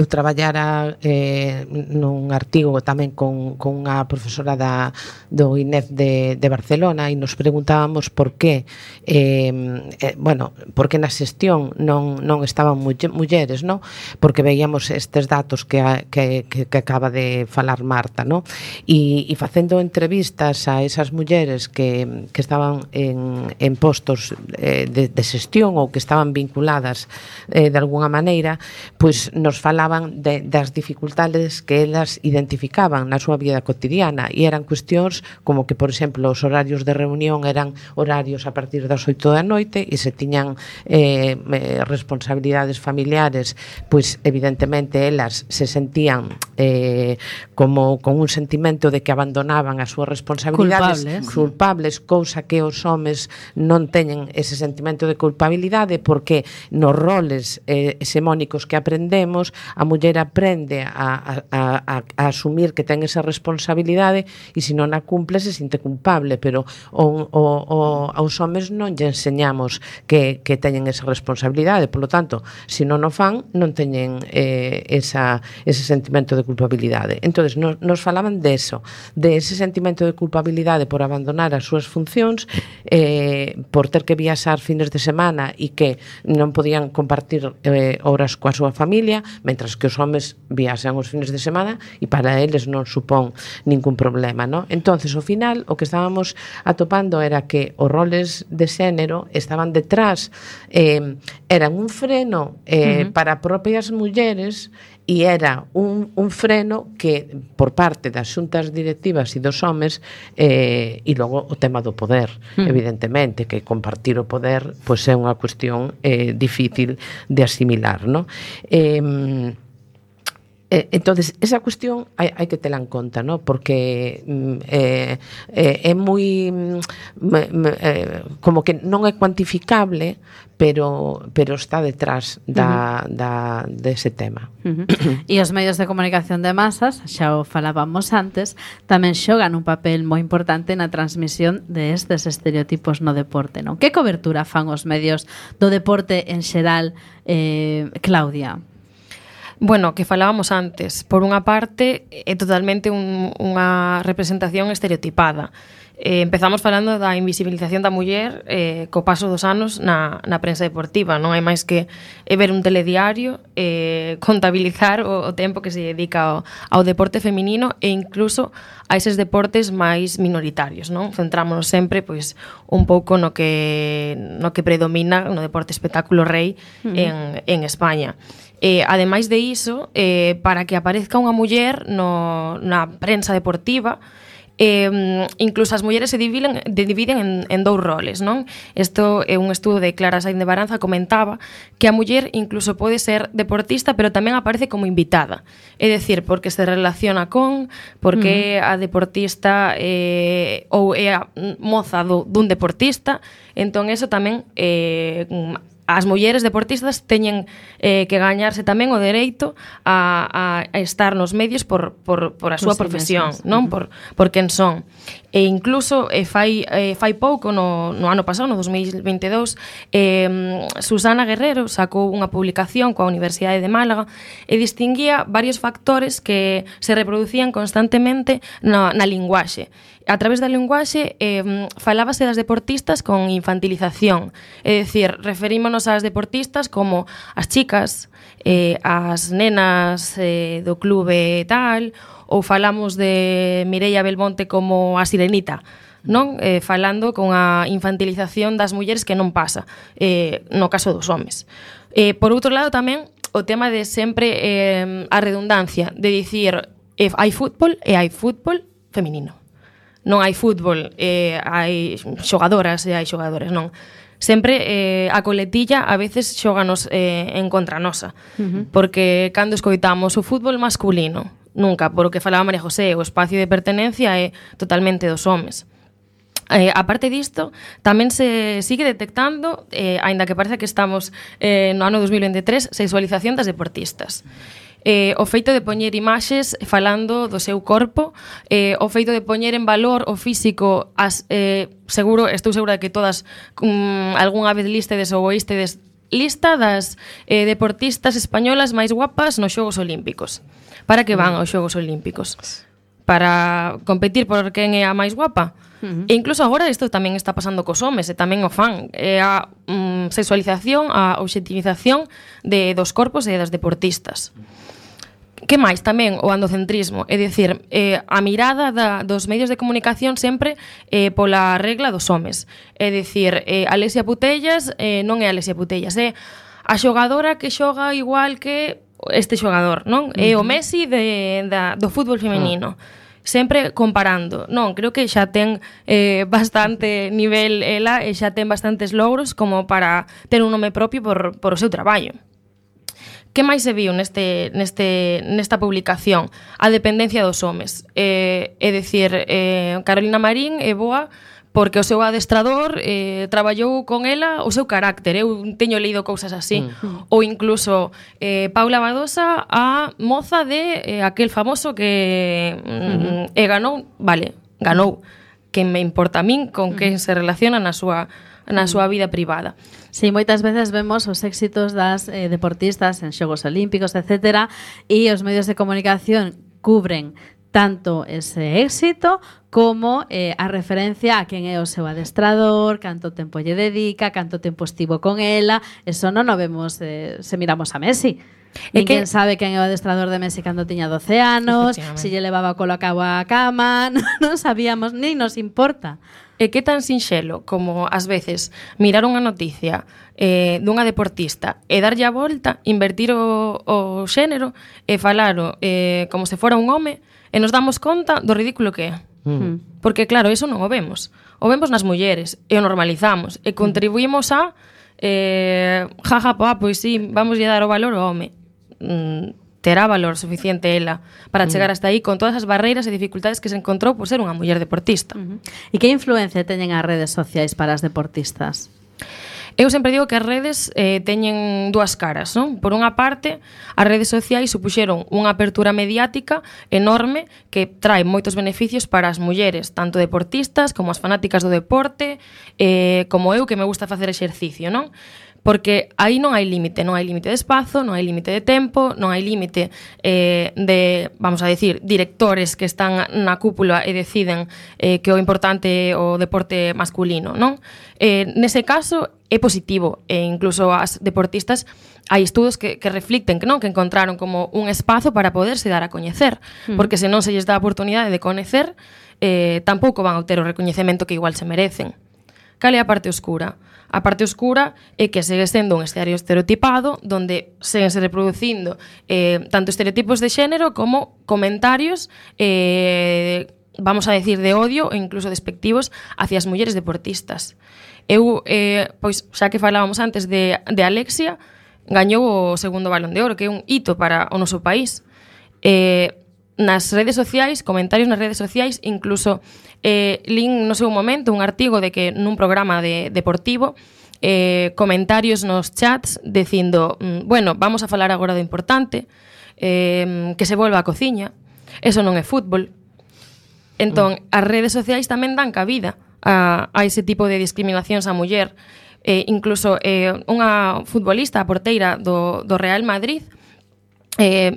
Speaker 3: traballara nun artigo tamén con unha profesora do INEF de Barcelona e nos preguntábamos por que por que na xestión non estaban mulleres, no? Porque veíamos estes datos que acaba de falar Marta, no? E facendo entrevistas a esas mulleres que estaban en postos de xestión ou que estaban vinculadas de alguna maneira, pois nos falaban das dificultades que elas identificaban na súa vida cotidiana e eran cuestións como que, por exemplo, os horarios de reunión eran horarios a partir das 8 da noite e se tiñan responsabilidades familiares, pois evidentemente elas se sentían como con un sentimento de que abandonaban as súas responsabilidades culpables, cousa que os homes non teñen ese sentimento de culpabilidade porque nos roles hexemónicos que aprendemos a muller aprende a asumir que ten esa responsabilidade e se non a cumple se sinte culpable, pero aos homes non lle enseñamos que teñen esa responsabilidade, polo tanto, se non o fan non teñen ese sentimento de culpabilidade. Entonces nos falaban de ese sentimento de culpabilidade por abandonar as súas funcións, por ter que viaxar fines de semana e que non podían compartir horas coa súa familia, mentras que os homes viaxan os fines de semana e para eles non supón ningún problema, no? Entonces, ao final, o que estábamos atopando era que os roles de xénero estaban detrás, eran un freno para propias mulleres e era un freno que por parte das xuntas directivas e dos homes e logo o tema do poder, evidentemente, que compartir o poder pois é unha cuestión difícil de asimilar, no? Entonces, esa cuestión hai que tela en conta, ¿no? Porque é moi como que non é cuantificable, pero está detrás dese tema.
Speaker 1: E os medios de comunicación de masas, xa o falábamos antes, tamén xogan un papel moi importante na transmisión de estes estereotipos no deporte, non? Que cobertura fan os medios do deporte en xeral, Claudia?
Speaker 5: Bueno, que falábamos antes, por unha parte é totalmente unha representación estereotipada. Empezamos falando da invisibilización da muller co paso dos anos na prensa deportiva. Non hai máis que ver un telediario, contabilizar o tempo que se dedica ao deporte feminino e incluso a eses deportes máis minoritarios, non? Centrámonos sempre pois un pouco no que predomina no deporte espectáculo rei en España. Ademais de iso, para que aparezca unha muller na prensa deportiva, incluso as mulleres se dividen en dous roles, non? Isto é un estudo de Clara Sainz de Baranza, comentaba que a muller incluso pode ser deportista, pero tamén aparece como invitada. É dicir, porque se relaciona porque a deportista ou é a moza dun deportista, entón eso tamén as mulleres deportistas teñen que gañarse tamén o dereito a estar nos medios por a súa profesión, non? Por quen son. E incluso fai pouco, no ano pasado, no 2022, Susana Guerrero sacou unha publicación coa Universidade de Málaga e distinguía varios factores que se reproducían constantemente na linguaxe. A través da linguaxe falábase das deportistas con infantilización, é dicir, referímonos ás deportistas como as chicas, as nenas do clube tal, ou falamos de Mireia Belmonte como a sirenita, non? Falando con a infantilización das mulleres que non pasa no caso dos homes. Por outro lado tamén o tema de sempre a redundancia de dicir hai fútbol e hai fútbol feminino. Non hai fútbol, hai xogadoras e hai xogadores, non. Sempre a coletilla a veces xóganos en contra nosa, porque cando escoitamos o fútbol masculino, nunca, por o que falaba María José, o espacio de pertenencia é totalmente dos homes. A parte disto, tamén se sigue detectando, aínda que parece que estamos no ano 2023, sexualización das deportistas. O feito de poñer imaxes falando do seu corpo, o feito de poñer en valor o físico, estou segura de que todas algunha vez listedes ou oístedes lista das deportistas españolas máis guapas nos Xogos Olímpicos. Para que van aos Xogos Olímpicos? Para competir por quen é a máis guapa? E incluso agora isto tamén está pasando cos homes, e tamén o fan, a sexualización, a objetivización dos corpos e das deportistas. Que máis? Tamén o andocentrismo, é dicir, a mirada dos medios de comunicación sempre pola regla dos homes. É dicir, Alexia Putellas non é Alexia Putellas, é a xogadora que xoga igual que este xogador, non? É o Messi do fútbol femenino. Sempre comparando. Non, creo que xa ten bastante nivel ela e xa ten bastantes logros como para ter un nome propio por o seu traballo. Que máis se viu nesta publicación? A dependencia dos homes. É dicir, Carolina Marín é boa porque o seu adestrador traballou con ela o seu carácter. Eu teño leído cousas así. Ou incluso Paula Badosa, a moza de aquel famoso que ganou. Vale, ganou. Que me importa a min con que se relaciona na súa vida privada.
Speaker 1: Sí, moitas veces vemos os éxitos das deportistas en Xogos Olímpicos, etcétera, e os medios de comunicación cubren tanto ese éxito como a referencia a quen é o seu adestrador, canto tempo lle dedica, canto tempo estivo con ela. Eso non o vemos se miramos a Messi. Ninguén sabe quen é o adestrador de Messi cando tiña 12 anos, se lle levaba o colo a cabo á cama, non sabíamos, nin nos importa.
Speaker 5: E que tan sinxelo como, ás veces, mirar unha noticia dunha deportista e darlle a volta, invertir o xénero e falaro como se fora un home, e nos damos conta do ridículo que é. Porque, claro, eso non o vemos. O vemos nas mulleres e o normalizamos e contribuímos a pois sí, vamos lle dar o valor ao home. terá valor suficiente ela para chegar hasta aí con todas as barreiras e dificultades que se encontrou por ser unha muller deportista.
Speaker 1: E que influencia teñen as redes sociais para as deportistas?
Speaker 5: Eu sempre digo que as redes teñen dúas caras, non? Por unha parte, as redes sociais supuxeron unha apertura mediática enorme que trae moitos beneficios para as mulleres, tanto deportistas como as fanáticas do deporte, como eu que me gusta facer exercicio, non? Porque aí non hai límite de espazo, non hai límite de tempo, non hai límite de, vamos a decir, directores que están na cúpula e deciden que o importante é o deporte masculino, non? Nese caso é positivo, e incluso as deportistas hai estudos que reflicten que non, que encontraron como un espazo para poderse dar a coñecer, porque se non se lles dá a oportunidade de coñecer, tampouco van a ter o recoñecemento que igual se merecen. Cal é a parte oscura? A parte oscura é que segue sendo un escenario estereotipado donde seguen se reproducindo tanto estereotipos de xénero como comentarios vamos a decir de odio e incluso despectivos hacia as mulleres deportistas. Eu, pois, xa que falábamos antes de Alexia, gañou o segundo Balón de Oro, que é un hito para o noso país. Nas redes sociais, comentarios nas redes sociais, incluso lín no seu momento un artigo de que nun programa deportivo comentarios nos chats dicindo, bueno, vamos a falar agora do importante, que se volva a cociña, eso non é fútbol. Entón, as redes sociais tamén dan cabida a ese tipo de discriminacións á muller. Incluso unha futbolista, a porteira do Real Madrid,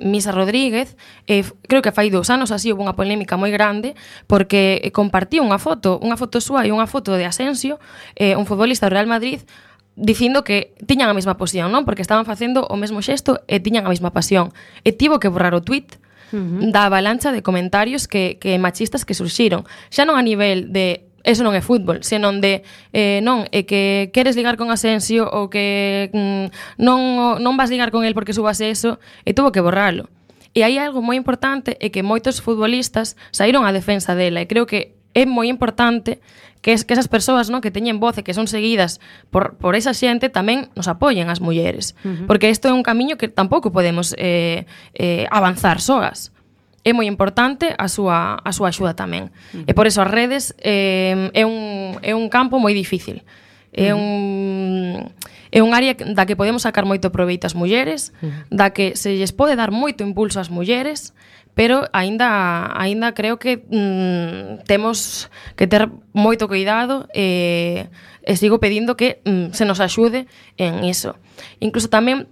Speaker 5: Misa Rodríguez, creo que fai 2 anos así houve unha polémica moi grande porque compartiu unha foto súa e unha foto de Asensio, un futbolista do Real Madrid, dicindo que tiñan a mesma posición, non? Porque estaban facendo o mesmo xesto e tiñan a mesma pasión. E tivo que borrar o tuit da avalancha de comentarios que machistas que surxiron. Xa non a nivel de eso non é fútbol, senón de non, é que queres ligar con Asensio ou que non vas ligar con el porque subas eso, e tuvo que borralo. E hai algo moi importante, é que moitos futbolistas saíron á defensa dela, e creo que é moi importante que esas persoas, non, que teñen voz e que son seguidas por esa xente tamén nos apoyen as mulleres, porque isto é un camiño que tampouco podemos avanzar soas. É moi importante a súa axuda tamén. E por eso as redes é un campo moi difícil. É un área da que podemos sacar moito proveito as mulleres, da que se lles pode dar moito impulso ás mulleres, pero aínda creo que temos que ter moito cuidado e sigo pedindo que se nos axude en iso. Incluso tamén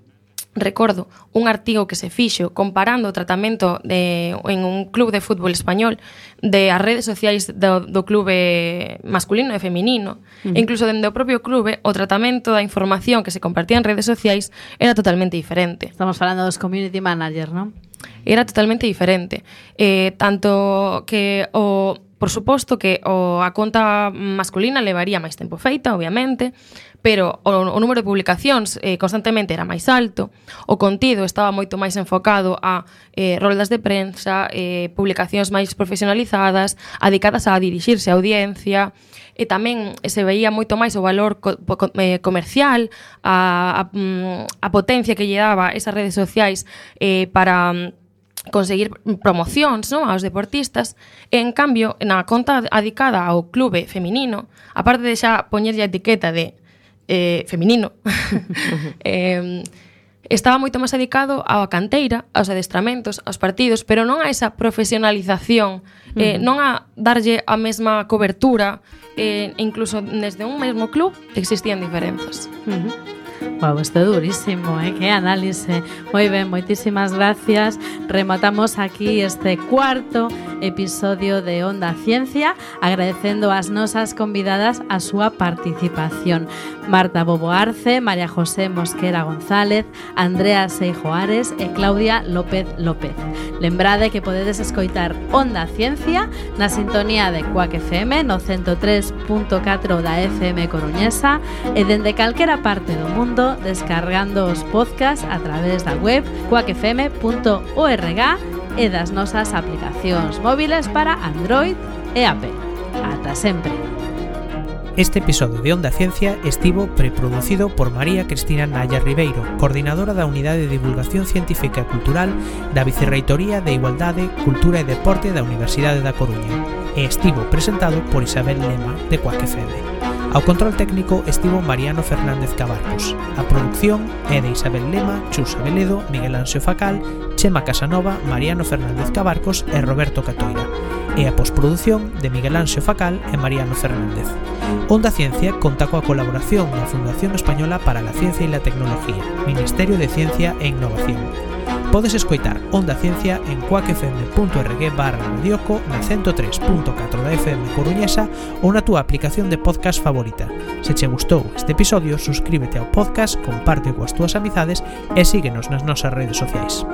Speaker 5: recordo un artigo que se fixo comparando o tratamento en un club de fútbol español de as redes sociais do clube masculino e feminino. E incluso dende o propio clube o tratamento da información que se compartía en redes sociais era totalmente diferente.
Speaker 1: Estamos falando dos community managers, non?
Speaker 5: Era totalmente diferente. Tanto que por suposto que a conta masculina levaría máis tempo feita, obviamente, pero o número de publicacións constantemente era máis alto, o contido estaba moito máis enfocado a roldas de prensa, publicacións máis profesionalizadas, dedicadas a dirixirse á audiencia, e tamén se veía moito máis o valor comercial, a potencia que lle daba esas redes sociais para conseguir promocións, non, aos deportistas. E, en cambio, na conta dedicada ao clube feminino, aparte de xa poñerlle a etiqueta de feminino, estaba moito máis dedicado á canteira, aos adestramentos, aos partidos, pero non a esa profesionalización, non a darlle a mesma cobertura, incluso desde un mesmo club existían diferenzas.
Speaker 1: Wow, isto é durísimo, que análise. Moi ben, moitísimas gracias. Rematamos aquí este cuarto episodio de Onda Ciencia, agradecendo ás nosas convidadas a súa participación. Marta Bobo Arce, María José Mosquera González, Andrea Seijo Ares e Claudia López López. Lembrade que podedes escoitar Onda Ciencia na sintonía de Cuac FM no 103.4 da FM coruñesa e dende calquera parte do mundo descargando os podcasts a través da web cuacfm.org e das nosas aplicacións móviles para Android e Apple. Ata sempre.
Speaker 6: Este episodio de Onda Ciencia estivo preproducido por María Cristina Naya Ribeiro, coordinadora da Unidade de Divulgación Científica e Cultural da Vicerreitoría de Igualdade, Cultura e Deporte da Universidade da Coruña e estivo presentado por Isabel Lema de Quack FM. Ao control técnico estivo Mariano Fernández Cabarcos. A produción é de Isabel Lema, Chus Abeledo, Miguel Anxo Facal, Chema Casanova, Mariano Fernández Cabarcos e Roberto Catoira. E a posprodución de Miguel Anxo Facal e Mariano Fernández. Onda Ciencia conta coa colaboración da Fundación Española para la Ciencia e la Tecnología, Ministerio de Ciencia e Innovación. Podes escoitar Onda Ciencia en quackfm.org/radioco na 103.4 da FM coruñesa ou na túa aplicación de podcast favorita. Se che gustou este episodio, suscríbete ao podcast, comparte coas túas amizades e síguenos nas nosas redes sociais.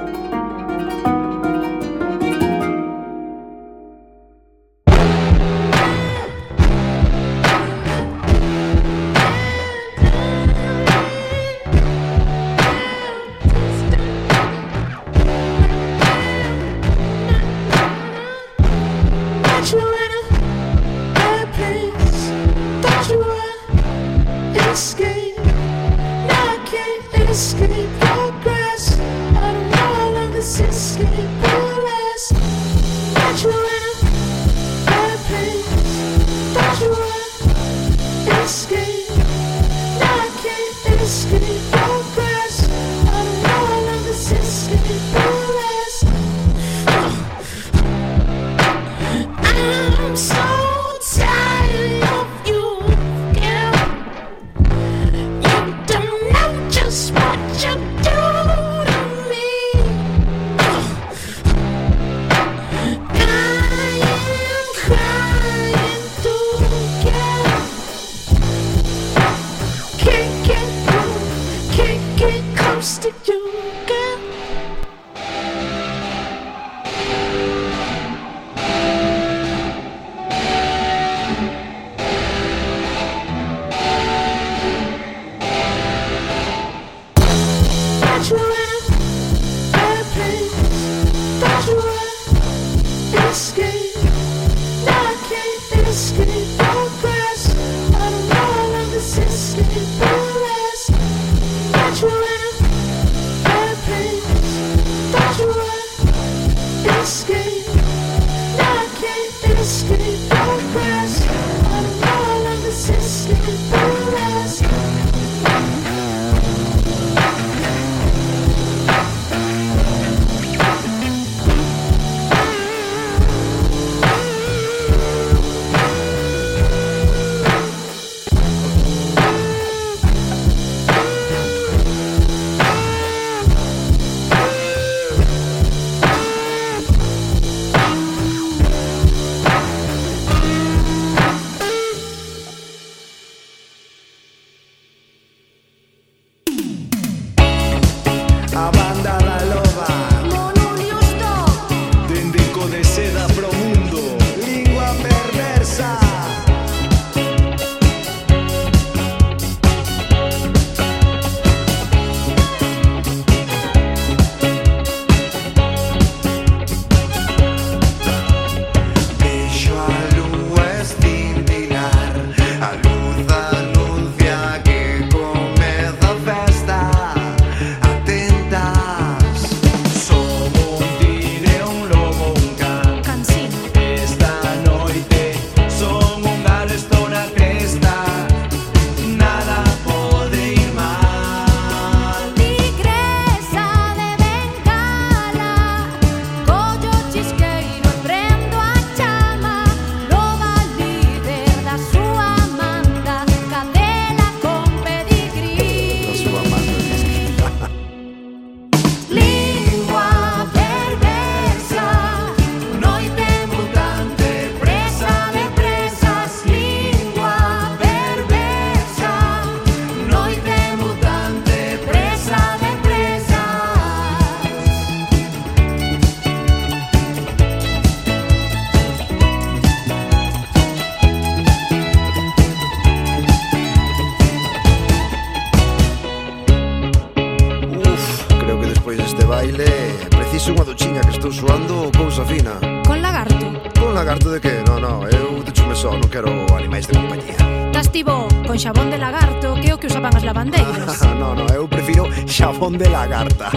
Speaker 7: Preciso unha duchiña que estou suando cousa fina.
Speaker 8: Con lagarto?
Speaker 7: Con lagarto de que? No, eu duchome só, non quero animais de compañía.
Speaker 8: Estás tivo con xabón de lagarto, que é o que usaban as lavandeiras.
Speaker 7: No, eu prefiro xabón de lagarta.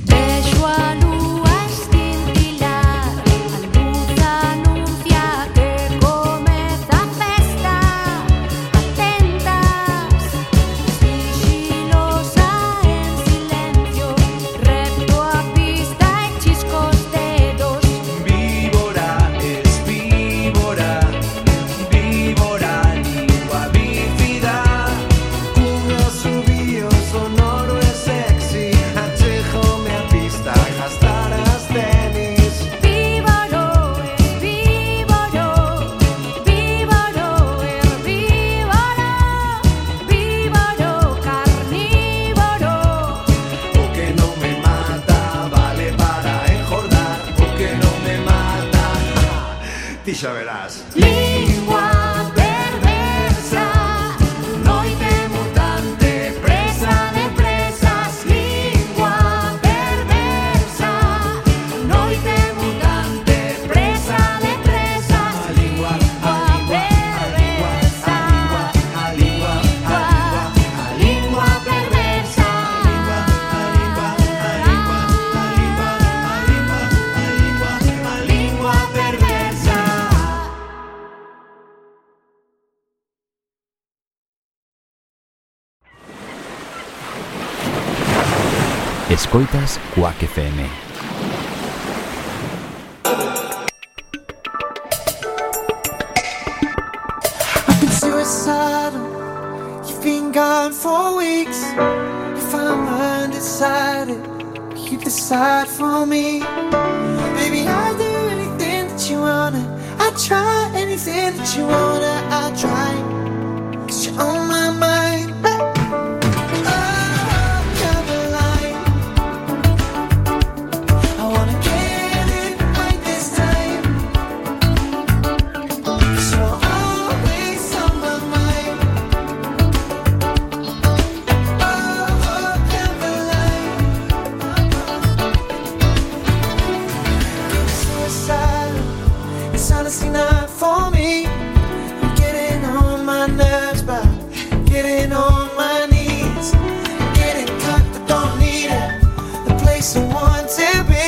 Speaker 9: Vexo a lúa escintilar, a luz anuncia que comeza a festa. Atentas, sigilosa en silencio, repto a pista e chisco os dedos.
Speaker 10: Víbora es víbora, víbora, lingua bífida.
Speaker 11: Un asubío sonoro e sexy, achejome a pista e gastar as tenis.
Speaker 9: Víboro, herbívoro, víboro, herbívoro, víboro, carnívoro.
Speaker 11: O que non me mata vale para engordar. O que non me mata, ti xa verás.
Speaker 9: Lingua perversa, noite mutante, presa de presas. Lingua perversa, noite mutante, presa de presas. Lingua perversa, a lingua perversa. A lingua perversa.
Speaker 12: Escoitas Quack FM.
Speaker 11: I've been suicidal, you've been gone for weeks. If I'm undecided, you decide for me. Baby, I'll do anything that you wanna. I'll try anything that you wanna. I'll try, 'cause you're on my mind. Oh, Caroline, I wanna get it right this time, 'cause you're always on my mind. Oh, Caroline, getting suicidal, it's honestly not for me. I'm getting on my nerves, but getting on my knees, getting cocked, I don't need it, the place I want to be.